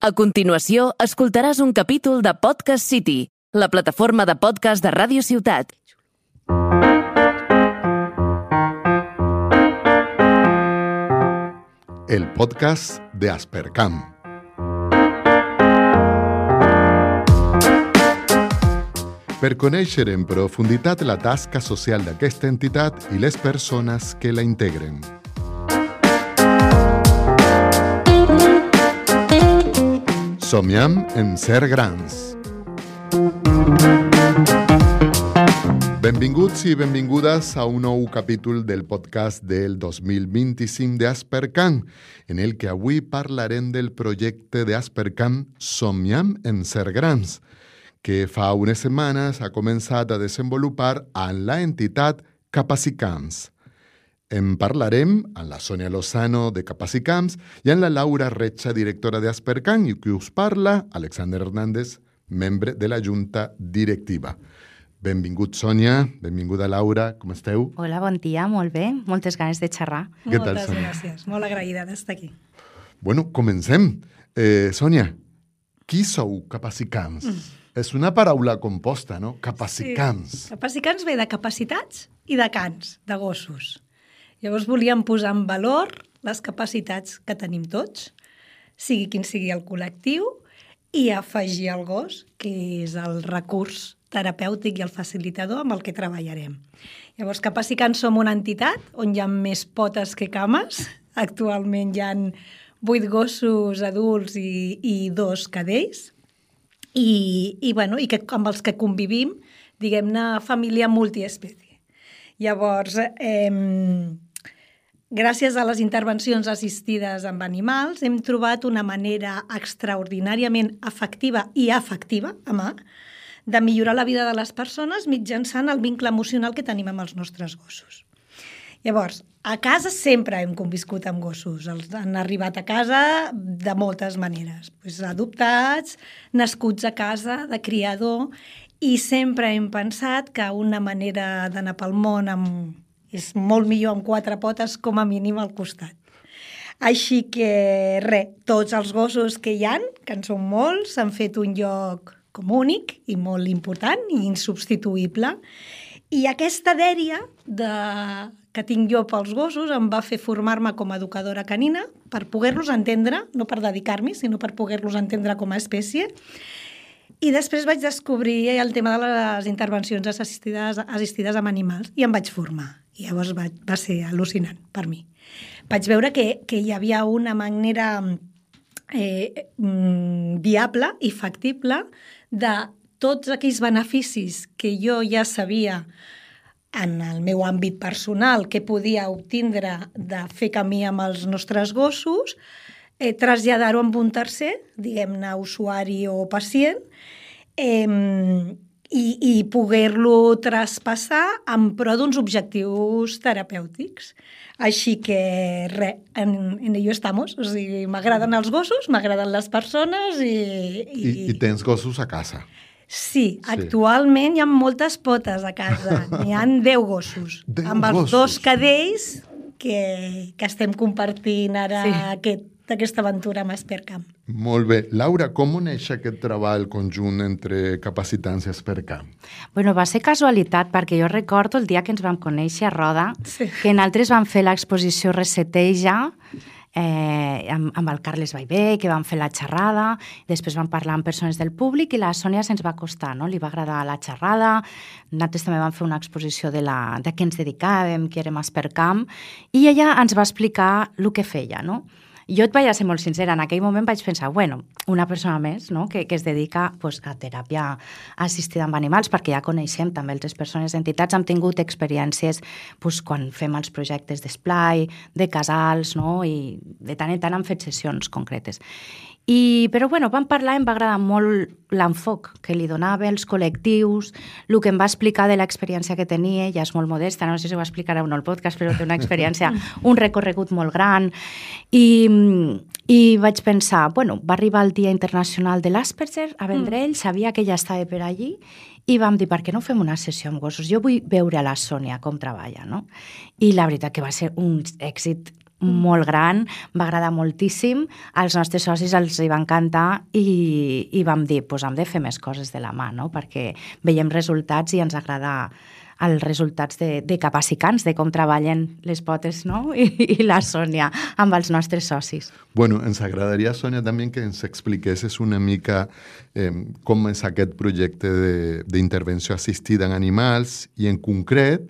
A continuació, escoltaràs un capítol de Podcast City, la plataforma de podcast de Ràdio Ciutat. El podcast de Aspercam. Per conèixer en profunditat la tasca social d'aquesta entitat i les persones que la integren. Somiem en ser grans. Benvinguts i benvingudes a un nou capítol del podcast del 2025 d'Aspercam, en el que avui parlarem del projecte d'Aspercam Somiem en ser grans, que fa unes setmanes ha començat a desenvolupar en la entitat Capacicams. En parlarem amb la Sònia Lozano de Capacicams i amb la Laura Recha, directora d'Aspercam, i qui us parla, Alexander Hernández, membre de la Junta Directiva. Benvingut, Sònia. Benvinguda, Laura. Com esteu? Hola, bon dia. Molt bé. Moltes ganes de xerrar. Què tal, Moltes Sònia? gràcies. Molt agraïda d'estar aquí. Bueno, comencem. Sònia, qui sou Capacicams? És una paraula composta, no? Capacicams. Sí. Capacicams ve de capacitats i de cans, de gossos. Llavors volíem posar en valor les capacitats que tenim tots, sigui quin sigui el col·lectiu, i afegir el gos, que és el recurs terapèutic i el facilitador amb el que treballarem. Llavors, Capacicams som una entitat on hi ha més potes que cames. Actualment hi ha 8 gossos adults i 2 cadells. I amb els que convivim, diguem-ne, família multiespècie. Llavors, gràcies a les intervencions assistides amb animals, hem trobat una manera extraordinàriament efectiva i afectiva, de millorar la vida de les persones mitjançant el vincle emocional que tenim amb els nostres gossos. Llavors, a casa sempre hem conviscut amb gossos. Han arribat a casa de moltes maneres. Adoptats, nascuts a casa, de criador, i sempre hem pensat que una manera d'anar pel món és molt millor amb 4 potes com a mínim al costat. Així que, tots els gossos que hi ha, que en són molts, s'han fet un lloc com únic i molt important i insubstituïble. I aquesta dèria que tinc jo pels gossos em va fer formar-me com a educadora canina per poder-los entendre, no per dedicar-m'hi, sinó per poder-los entendre com a espècie. I després vaig descobrir el tema de les intervencions assistides amb animals i em vaig formar. I llavors va ser al·lucinant per mi. Vaig veure que hi havia una manera viable i factible de tots aquells beneficis que jo ja sabia en el meu àmbit personal que podia obtindre de fer camí amb els nostres gossos, traslladar-ho amb un tercer, diguem-ne usuari o pacient, i poder-lo traspassar en pro d'uns objectius terapèutics. Així que, en ello estamos. O sigui, m'agraden els gossos, m'agraden les persones I tens gossos a casa. Sí, actualment hi ha moltes potes a casa. N'hi ha 10 gossos. 10 amb els gossos. 2 cadells que estem compartint ara aquesta aventura amb Aspercam. Molt bé. Laura, com neix aquest treball conjunt entre Capacicams i Aspercam? Bueno, va ser casualitat, perquè jo recordo el dia que ens vam conèixer a Roda, que nosaltres vam fer l'exposició Reseteja, amb el Carles Baivé, que vam fer la xerrada, després vam parlar amb persones del públic i la Sònia se'ns va acostar, no? Li va agradar la xerrada, nosaltres també vam fer una exposició de què ens dedicàvem, que érem Aspercam, i ella ens va explicar el que feia, no? Jo et vaig a ser molt sincera, en aquell moment vaig pensar, una persona més, no? que es dedica a teràpia assistida amb animals, perquè ja coneixem també altres persones, entitats, hem tingut experiències quan fem els projectes d'esplai, de casals, no? I de tant en tant hem fet sessions concretes. Però vam parlar, em va agradar molt l'enfoc que li donava, els col·lectius, el que em va explicar de l'experiència que tenia, ja és molt modesta, no sé si ho explicarà o no el podcast, però té una experiència, un recorregut molt gran, i vaig pensar, va arribar el Dia Internacional de l'Asperger a Vendrell, sabia que ella estava per allí, i vam dir, per què no fem una sessió amb gossos? Jo vull veure a la Sònia com treballa, no? I la veritat que va ser un èxit molt gran, va agradar moltíssim, als nostres socis els hi va encantar i vam dir, doncs hem de fer més coses de la mà, no? Perquè veiem resultats i ens agrada els resultats de Capacicants, de com treballen les potes, no? I la Sònia amb els nostres socis. Bueno, ens agradaria, Sònia, també que ens expliquessis una mica com és aquest projecte d'intervenció assistida en animals i, en concret,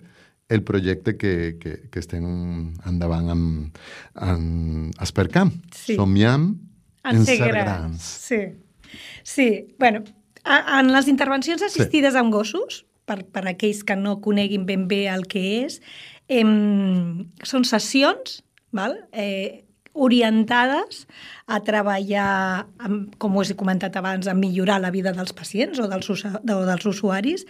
el projecte que estem endavant amb Aspercam. Sí. Somiem en ser grans. Sí. Bueno, en les intervencions assistides amb gossos, per aquells que no coneguin ben bé el que és, són sessions, val? Orientades a treballar, com us he comentat abans, a millorar la vida dels pacients o dels usuaris,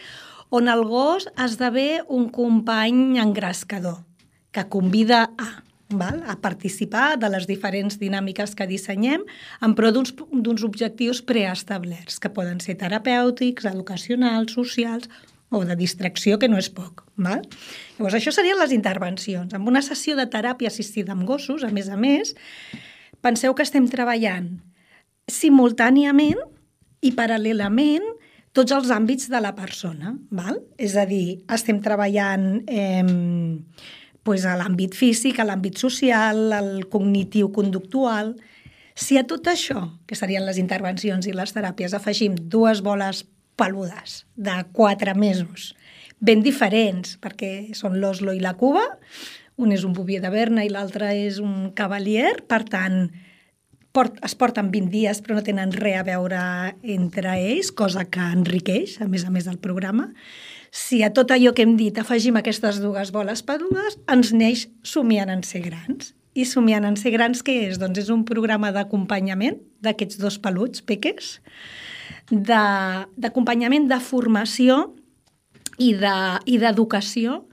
on el gos esdevé un company engrescador, que convida a participar de les diferents dinàmiques que dissenyem en pro d'uns objectius preestablerts, que poden ser terapèutics, educacionals, socials o de distracció, que no és poc. Val? Llavors, això serien les intervencions. Amb una sessió de teràpia assistida amb gossos, a més, penseu que estem treballant simultàniament i paral·lelament tots els àmbits de la persona. Val? És a dir, estem treballant a l'àmbit físic, a l'àmbit social, al cognitiu-conductual. Si a tot això, que serien les intervencions i les teràpies, afegim 2 boles peludes de 4 mesos, ben diferents, perquè són l'Oslo i la Cuba, un és un Bouvier de Berna i l'altre és un Cavalier, per tant, es porten 20 dies però no tenen res a veure entre ells, cosa que enriqueix, a més del programa. Si a tot allò que hem dit afegim aquestes 2 boles peludes, ens neix Somiant en ser grans. I Somiant en ser grans què és? Doncs és un programa d'acompanyament d'aquests 2 peluts peques, d'acompanyament de formació i d'educació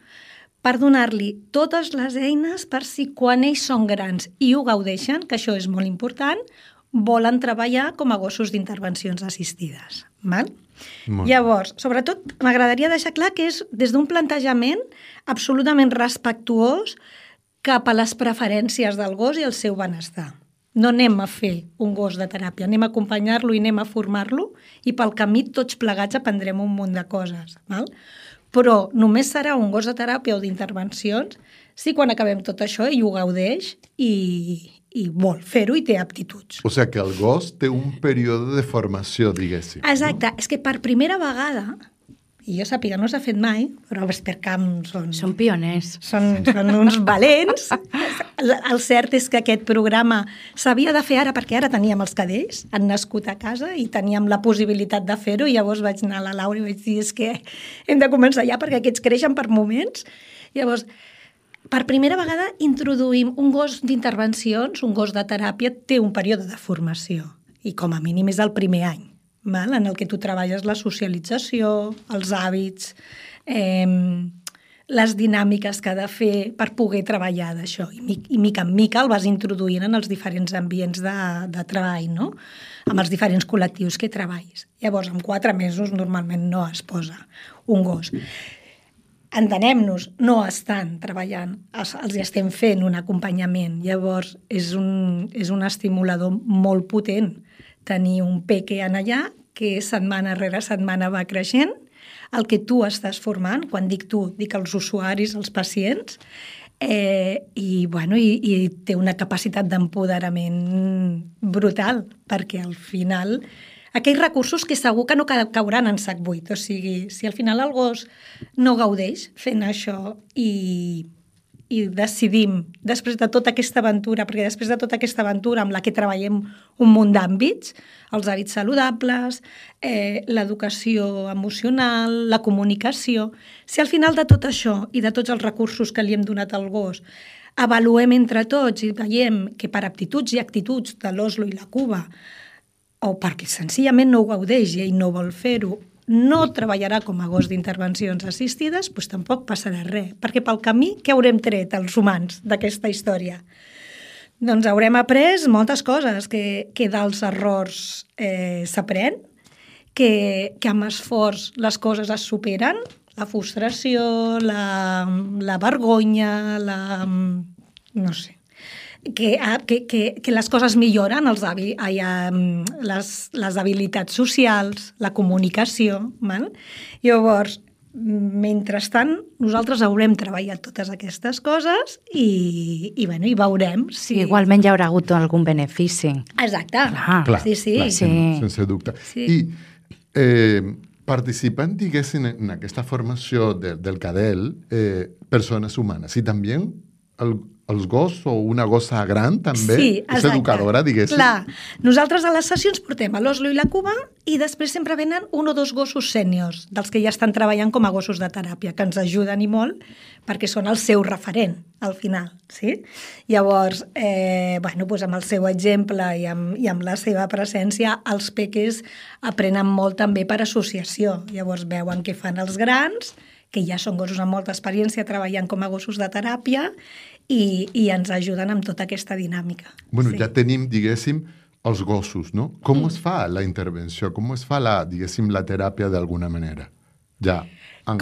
per donar-li totes les eines per si quan ells són grans i ho gaudeixen, que això és molt important, volen treballar com a gossos d'intervencions assistides. Val? Llavors, sobretot, m'agradaria deixar clar que és des d'un plantejament absolutament respectuós cap a les preferències del gos i el seu benestar. No anem a fer un gos de teràpia, anem a acompanyar-lo i anem a formar-lo i pel camí tots plegats aprendrem un munt de coses. Val? Però només serà un gos de teràpia o d'intervencions si quan acabem tot això ell ho gaudeix i vol fer-ho i té aptituds. O sigui que el gos té un període de formació, diguéssim. Exacte. És que per primera vegada, i jo sàpiga, no s'ha fet mai, però els Aspercam són pioners. Són uns valents. El cert és que aquest programa s'havia de fer ara perquè ara teníem els cadells, han nascut a casa i teníem la possibilitat de fer-ho i llavors vaig anar a la Laura i vaig dir és que hem de començar ja perquè aquests creixen per moments. Llavors, per primera vegada introduïm un gos d'intervencions, un gos de teràpia, té un període de formació i com a mínim és el primer any, val? En el que tu treballes la socialització, els hàbits, les dinàmiques que ha de fer per poder treballar d'això. I mica en mica el vas introduint en els diferents ambients de treball, no? Amb els diferents col·lectius que treballis. Llavors, en 4 mesos normalment no es posa un gos. Entenem-nos, no estan treballant, els estem fent un acompanyament. Llavors, és un estimulador molt potent tenir un peque en allà que setmana rere setmana va creixent, el que tu estàs formant, quan dic tu, dic els usuaris, els pacients, i té una capacitat d'empoderament brutal, perquè al final aquells recursos que segur que no cauran en sac buit. O sigui, si al final el gos no gaudeix fent això i decidim, després de tota aquesta aventura, perquè després de tota aquesta aventura amb la que treballem un munt d'àmbits, els hàbits saludables, l'educació emocional, la comunicació, si al final de tot això i de tots els recursos que li hem donat al gos avaluem entre tots i veiem que per aptituds i actituds de l'Oslo i la Cuba o perquè senzillament no ho gaudeix i ell no vol fer-ho, no treballarà com a gos d'intervencions assistides, doncs tampoc passarà res. Perquè pel camí, què haurem tret els humans d'aquesta història? Doncs haurem après moltes coses, que dels errors s'aprèn, que amb esforç les coses es superen, la frustració, la vergonya, no sé. que les coses milloren, les habilitats socials, la comunicació. Val? Llavors, mentrestant, nosaltres haurem treballat totes aquestes coses i veurem si... Igualment hi haurà hagut algun benefici. Exacte. Clar, sí. Sense dubte. Sí. I participant, diguéssim, en aquesta formació del CADEL, persones humanes, i també els gossos o una gossa gran també és educadora, diguéssim. Clar, nosaltres a les sessions portem a l'Oslo i la Cuba i després sempre venen 1 o 2 gossos sèniors, dels que ja estan treballant com a gossos de teràpia, que ens ajuden i molt perquè són el seu referent al final. Sí? Llavors, doncs amb el seu exemple i amb la seva presència, els peques aprenen molt també per associació. Llavors veuen què fan els grans, que ja són gossos amb molta experiència treballant com a gossos de teràpia i ens ajuden amb tota aquesta dinàmica. Bueno, ja tenim, diguéssim, els gossos, no? Com es fa la intervenció? Com es fa, diguéssim, la teràpia d'alguna manera? Ja,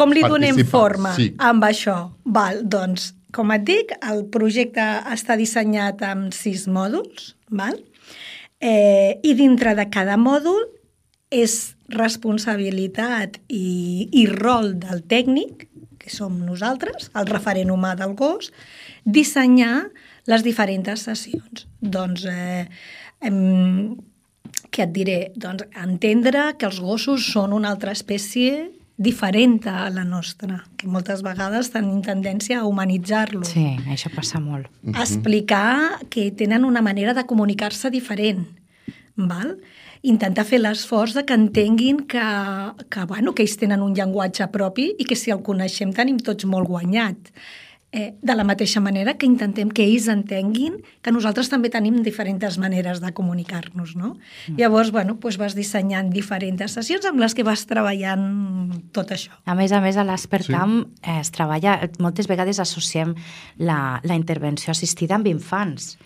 com li donem forma amb això? Val, doncs, com et dic, el projecte està dissenyat amb 6 mòduls, val? I dintre de cada mòdul és responsabilitat i rol del tècnic, que som nosaltres, el referent humà del gos, dissenyar les diferents sessions. Doncs, què et diré? Doncs entendre que els gossos són una altra espècie diferent a la nostra, que moltes vegades tenim tendència a humanitzar-lo. Sí, això passa molt. Explicar que tenen una manera de comunicar-se diferent, val? Intentar fer l'esforç que entenguin que ells tenen un llenguatge propi i que si el coneixem tenim tots molt guanyat. De la mateixa manera que intentem que ells entenguin que nosaltres també tenim diferents maneres de comunicar-nos, no? Llavors, vas dissenyant diferents sessions amb les que vas treballant tot això. A més, a l'Aspercam es treballa, moltes vegades associem la intervenció assistida amb infants.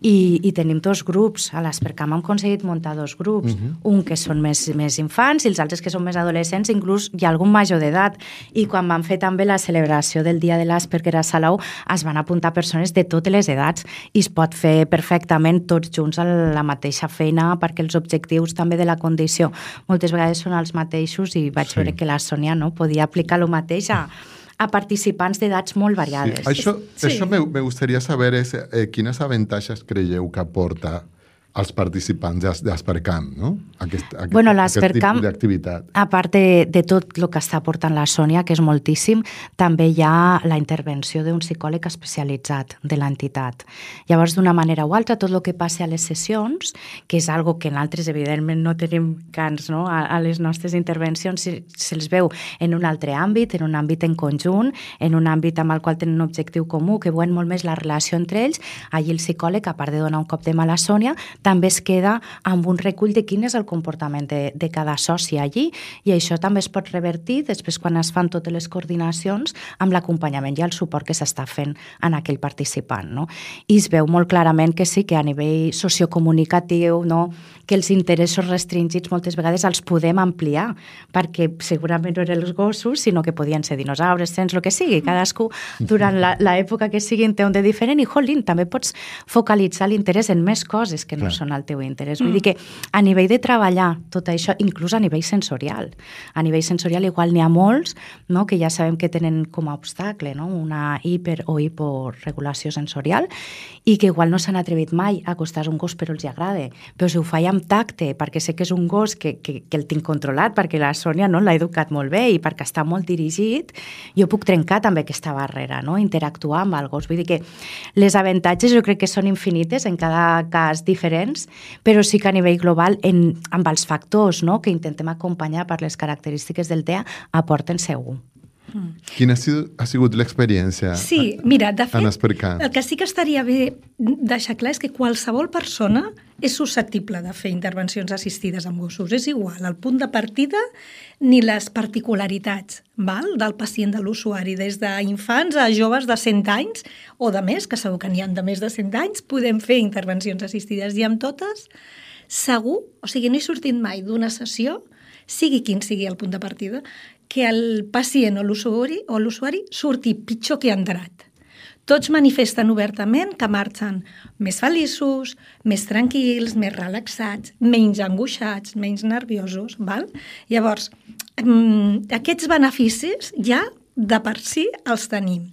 I tenim 2 grups. A l'Aspercam hem aconseguit muntar 2 grups. Un que són més infants i els altres que són més adolescents, inclús hi ha algun major d'edat. I quan vam fer també la celebració del Dia de l'Asperger a Salou, es van apuntar persones de totes les edats i es pot fer perfectament tots junts a la mateixa feina perquè els objectius també de la condició moltes vegades són els mateixos i vaig veure que la Sònia podia aplicar el mateix a participants d'edats molt variades. Sí. Això me gustaría saber quines avantatges creieu que aporta als participants d'Aspercam, no? Aquest tipus d'activitat. A part de tot el que està aportant la Sònia, que és moltíssim, també hi ha la intervenció d'un psicòleg especialitzat de l'entitat. Llavors, d'una manera o altra, tot el que passa a les sessions, que és algo que nosaltres, evidentment, no tenim cans, no? A les nostres intervencions se'ls veu en un altre àmbit, en un àmbit en conjunt, en un àmbit amb el qual tenen un objectiu comú, que veuen molt més la relació entre ells. Allí el psicòleg, a part de donar un cop de mà a la Sònia, també es queda amb un recull de quin és el comportament de cada soci allí i això també es pot revertir després quan es fan totes les coordinacions amb l'acompanyament i el suport que s'està fent en aquell participant. No? I es veu molt clarament que sí, que a nivell sociocomunicatiu, no? Que els interessos restringits moltes vegades els podem ampliar perquè segurament no eren els gossos, sinó que podien ser dinosaures, cens, el que sigui. Cadascú durant l'època que sigui té un de diferent i, jolín, també pots focalitzar l'interès en més coses que no són el teu interès. Vull dir que a nivell de treballar tot això, inclús a nivell sensorial. A nivell sensorial igual n'hi ha molts, no? Que ja sabem que tenen com a obstacle, no? Una hiper o hiporegulació sensorial i que igual no s'han atrevit mai a acostar un gos però els agrada. Però si ho faig amb tacte, perquè sé que és un gos que el tinc controlat, perquè la Sònia l'ha educat molt bé i perquè està molt dirigit, jo puc trencar també aquesta barrera, no? Interactuar amb el gos. Vull dir que les avantatges jo crec que són infinites en cada cas diferents, però sí que a nivell global, amb els factors, no? Que intentem acompanyar per les característiques del TEA, aporten segur. Quina ha sigut l'experiència? Sí, mira, de fet, el que sí que estaria bé deixar clar és que qualsevol persona és susceptible de fer intervencions assistides amb gossos. És igual el punt de partida ni les particularitats del pacient, de l'usuari. Des d'infants a joves de 100 anys o de més, que segur que n'hi ha de més de 100 anys, podem fer intervencions assistides i amb totes segur, o sigui, no he sortit mai d'una sessió, sigui quin sigui el punt de partida, que el pacient o l'usuari surti pitjor que ha entrat. Tots manifesten obertament que marxen més feliços, més tranquils, més relaxats, menys angoixats, menys nerviosos. Val? Llavors, aquests beneficis ja de per si els tenim.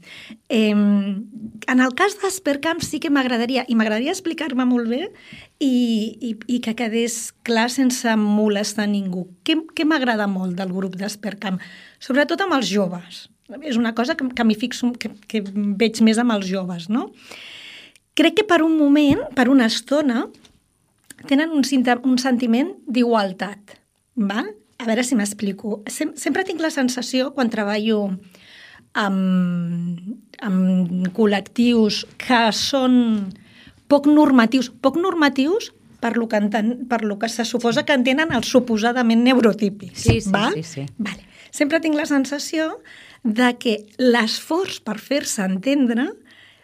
En el cas d'Aspercamp sí que m'agradaria explicar-me molt bé i que quedés clar sense molestar ningú. Què m'agrada molt del grup d'Aspercamp? Sobretot amb els joves. És una cosa que m'hi fixo, que veig més amb els joves, no? Crec que per un moment, per una estona, tenen un sentiment d'igualtat, val? A veure si m'explico. Sempre tinc la sensació, quan treballo amb col·lectius que són poc normatius per lo que se suposa que entenen els suposadament neurotípics. Sí. Vale. Sempre tinc la sensació de que l'esforç per fer-se entendre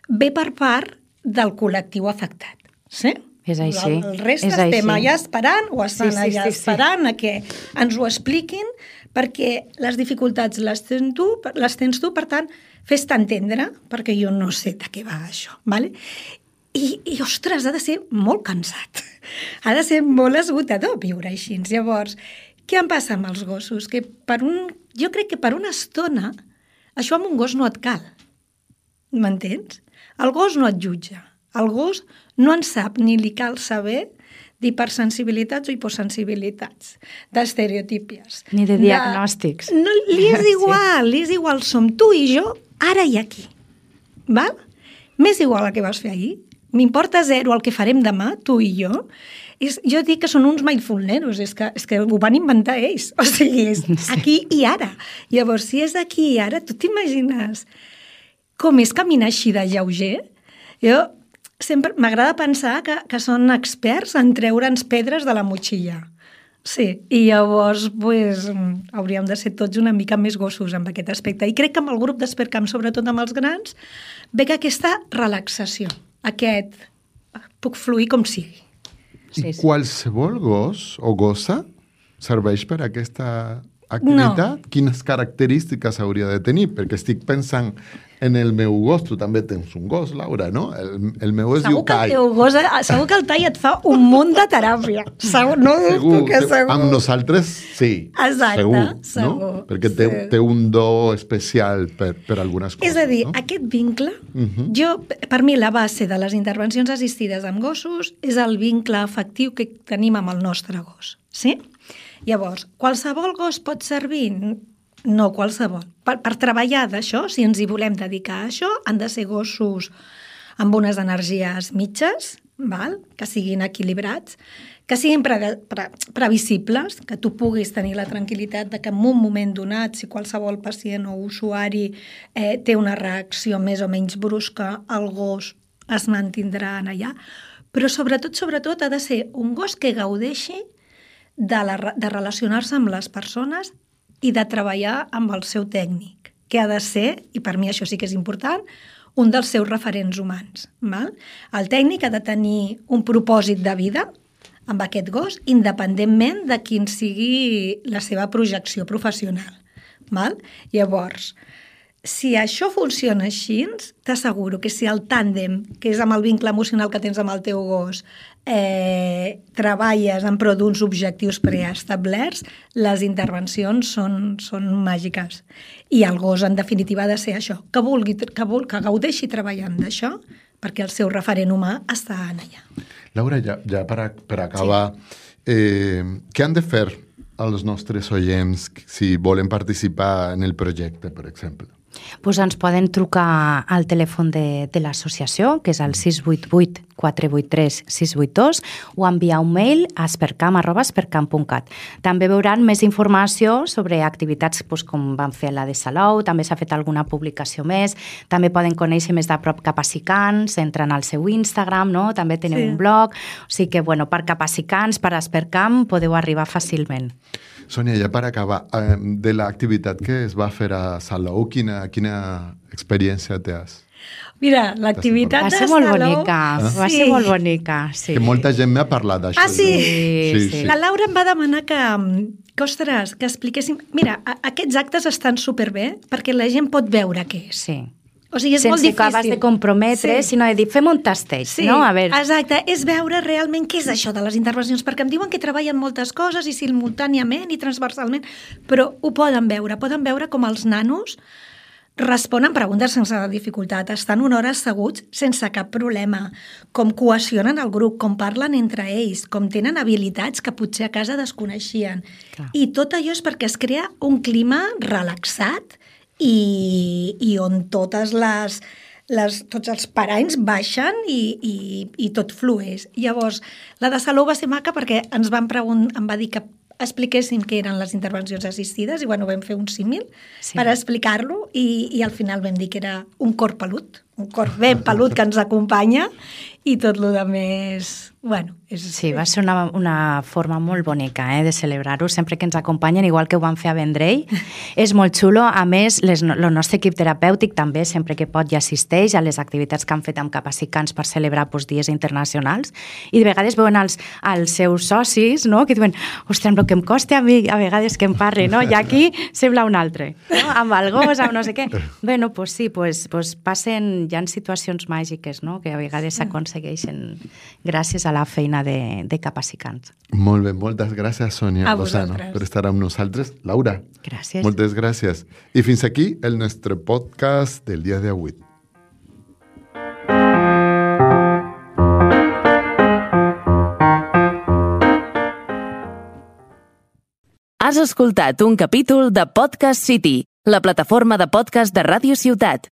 ve per part del col·lectiu afectat. Sí? És així. El reste estem allà esperant o estan allà esperant a que ens ho expliquin, perquè les dificultats les tens tu, per tant, fes-te entendre, perquè jo no sé de què va això. Vale? I, ostres, ha de ser molt cansat. Ha de ser molt esgotador viure així. Llavors, què em passa amb els gossos? Jo crec que per una estona això amb un gos no et cal. M'entens? El gos no et jutja. El gos no en sap ni li cal saber d'hipersensibilitats o hiposensibilitats, d'estereotípies. Ni de diagnòstics. No, li és igual, li és igual. Som tu i jo, ara i aquí. Val? M'és igual el que vas fer ahir. M'importa zero el que farem demà, tu i jo. Jo dic que són uns mindfulneros, és que ho van inventar ells. O sigui, és aquí i ara. Llavors, si és aquí i ara, tu t'imagines com és caminar així de lleuger? Jo sempre m'agrada pensar que són experts en treure'ns pedres de la motxilla. Sí, i llavors hauríem de ser tots una mica més gossos amb aquest aspecte. I crec que amb el grup d'Aspercamp, sobretot amb els grans, ve que aquesta relaxació, puc fluir com sigui. I qualsevol gos o gossa serveix per aquesta activitat? No. Quines característiques hauria de tenir? Perquè estic pensant en el meu gos. Tu també tens un gos, Laura, no? El meu es diu Tai. Segur que el Tai et fa un munt de teràpia. Segur. Amb nosaltres, sí. Exacte, segur. No? Perquè té un do especial per algunes coses. És a dir, aquest vincle, per mi la base de les intervencions assistides amb gossos és el vincle afectiu que tenim amb el nostre gos. Sí? Llavors, qualsevol gos pot servir? No qualsevol. Per treballar d'això, si ens hi volem dedicar a això, han de ser gossos amb unes energies mitges, val? Que siguin equilibrats, que siguin previsibles, que tu puguis tenir la tranquil·litat de que en un moment donat, si qualsevol pacient o usuari té una reacció més o menys brusca, el gos es mantindrà allà. Però sobretot ha de ser un gos que gaudeixi de relacionar-se amb les persones i de treballar amb el seu tècnic, que ha de ser, i per mi això sí que és important, un dels seus referents humans. Val? El tècnic ha de tenir un propòsit de vida amb aquest gos, independentment de quin sigui la seva projecció professional. Val? Llavors, si això funciona així, t'asseguro que si el tàndem, que és amb el vincle emocional que tens amb el teu gos, treballes en pro d'uns objectius preestablerts, les intervencions són màgiques. I el gos, en definitiva, ha de ser això, que gaudeixi treballant d'això, perquè el seu referent humà està allà. Laura, ja per acabar, què han de fer els nostres oients si volen participar en el projecte, per exemple? Pues ens poden trucar al telèfon de l'associació, que és el 688-483-682, o enviar un mail a aspercamp@aspercamp.cat. També veuran més informació sobre activitats com van fer la de Salou, també s'ha fet alguna publicació més, també poden conèixer més de prop Capacicants, entren al seu Instagram, no? També teniu un blog, o sigui que per Capacicants, per Aspercamp, podeu arribar fàcilment. Sònia, ja per acabar, de l'activitat que es va fer a Salou, quina experiència tens? Mira, l'activitat de Salou... Va ser molt bonica, sí. Que molta gent m'ha parlat d'això. Ah, sí? La Laura em va demanar que expliquéssim... Mira, aquests actes estan superbé perquè la gent pot veure què és. Sí. O sigui, és molt sense difícil. que acabes de comprometre, sinó de dir, fem un tasteig, no? A veure. Exacte. És veure realment què és això de les intervencions, perquè em diuen que treballen moltes coses i simultàniament i transversalment, però ho poden veure com els nanos responen preguntes sense dificultat, estan una hora asseguts sense cap problema, com cohesionen el grup, com parlen entre ells, com tenen habilitats que potser a casa desconeixien. Clar. I tot allò és perquè es crea un clima relaxat i on tots els paranys baixen i tot flueix. Llavors, la de Salou va ser maca perquè em va dir que expliquéssim què eren les intervencions assistides i vam fer un símil per explicar-lo i al final vam dir que era un cor pelut, un cor ben pelut que ens acompanya i tot el més... Sí, va ser una forma molt bonica de celebrar-ho, sempre que ens acompanyen, igual que ho van fer a Vendrell. És molt xulo. A més, el nostre equip terapèutic també, sempre que pot, ja assisteix a les activitats que han fet amb capacicants per celebrar dies internacionals. I de vegades veuen els seus socis, no?, que diuen, ostres, el que em costa a mi a vegades que em parli, no? I aquí sembla un altre, no? Amb el gos, amb no sé què. Bé, doncs sí, passen, hi ha situacions màgiques, no?, que a vegades s'aconsegueixen gràcies a la feina de capacicants. Molt bé, moltes gràcies, Sònia Lozano, per estar amb nosaltres. Laura, gràcies. Moltes gràcies. I fins aquí el nostre podcast del dia d'avui. Has escoltat un capítol de Podcast City, la plataforma de podcast de Ràdio Ciutat.